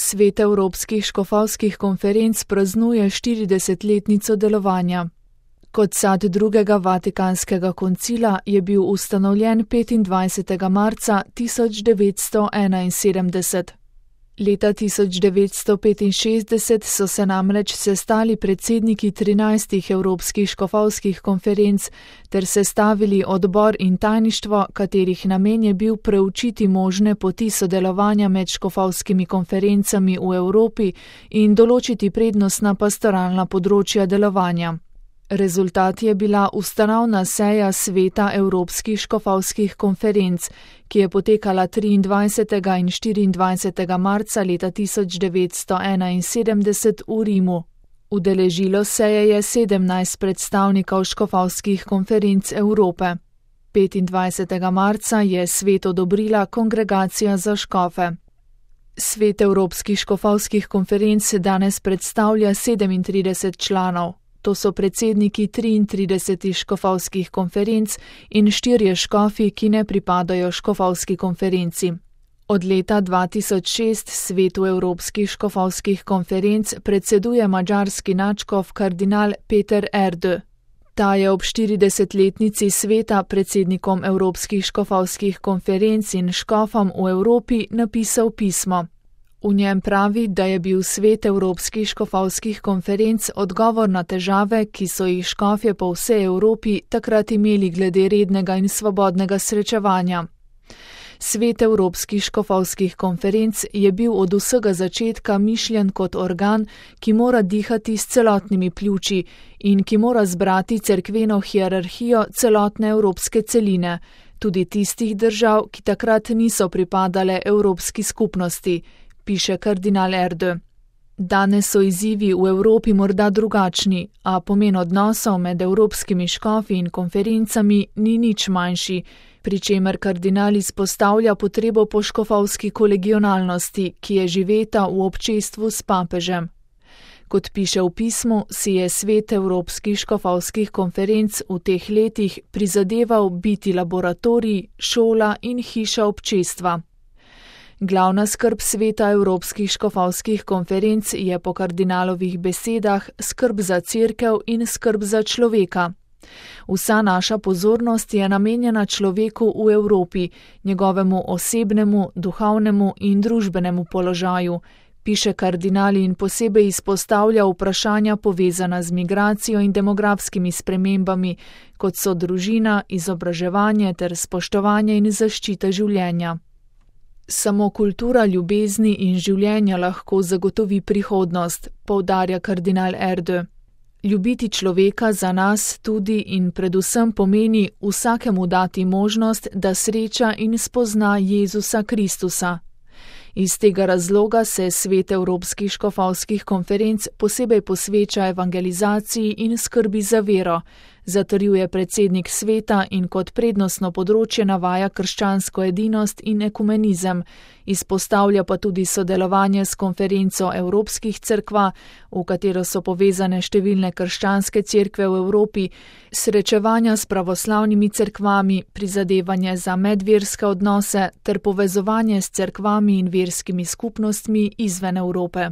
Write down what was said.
Svet evropskih škofovskih konferenc praznuje 40-letnico delovanja. Kot sad drugega Vatikanskega koncila je bil ustanovljen 25. marca 1971. Leta 1965 so se namreč sestali predsedniki 13 evropskih škofovskih konferenc ter sestavili odbor in tajništvo, katerih namen je bil preučiti možne poti sodelovanja med škofovskimi konferencami v Evropi in določiti prednostna pastoralna področja delovanja. Rezultat je bila ustanovna seja Sveta evropskih škofovskih konferenc, ki je potekala 23. in 24. marca leta 1971 v Rimu. Udeležilo seje je 17 predstavnikov škofovskih konferenc Evrope. 25. marca je svet odobrila Kongregacija za škofe. Svet evropskih škofovskih konferenc danes predstavlja 37 članov. To so predsedniki 33 škofovskih konferenc in 4 škofi, ki ne pripadajo škofovski konferenci. Od leta 2006 svetu evropskih škofovskih konferenc predseduje madžarski nadškof kardinal Péter Erdő. Ta je ob 40-letnici sveta predsednikom evropskih škofovskih konferenc in škofom v Evropi napisal pismo. V njem pravi, da je bil svet evropskih škofovskih konferenc odgovor na težave, ki so jih škofje po vsej Evropi takrat imeli glede rednega in svobodnega srečevanja. Svet evropskih škofovskih konferenc je bil od vsega začetka mišljen kot organ, ki mora dihati s celotnimi pljuči in ki mora zbrati cerkveno hierarhijo celotne evropske celine, tudi tistih držav, ki takrat niso pripadale evropski skupnosti, piše kardinal Erdő. Danes so izzivi v Evropi morda drugačni, a pomen odnosov med evropskimi škofi in konferencami ni nič manjši, pri čemer kardinal izpostavlja potrebo po škofovski kolegionalnosti, ki je živeta v občestvu s papežem. Kot piše v pismu, si je svet evropskih škofovskih konferenc v teh letih prizadeval biti laboratorij, šola in hiša občestva. Glavna skrb sveta evropskih škofovskih konferenc je po kardinalovih besedah skrb za cerkev in skrb za človeka. Vsa naša pozornost je namenjena človeku v Evropi, njegovemu osebnemu, duhovnemu in družbenemu položaju, piše kardinal in posebej izpostavlja vprašanja povezana z migracijo in demografskimi spremembami, kot so družina, izobraževanje ter spoštovanje in zaščita življenja. Samo kultura ljubezni in življenja lahko zagotovi prihodnost, poudarja kardinal Erdő. Ljubiti človeka za nas tudi in predvsem pomeni vsakemu dati možnost, da sreča in spozna Jezusa Kristusa. Iz tega razloga se svet evropskih škofovskih konferenc posebej posveča evangelizaciji in skrbi za vero, zatrjuje predsednik sveta in kot prednostno področje navaja krščansko edinost in ekumenizem, izpostavlja pa tudi sodelovanje s konferenco evropskih cerkva, v katero so povezane številne krščanske cerkve v Evropi, srečevanja s pravoslavnimi cerkvami, prizadevanje za medverske odnose ter povezovanje s cerkvami in verskimi skupnostmi izven Evrope.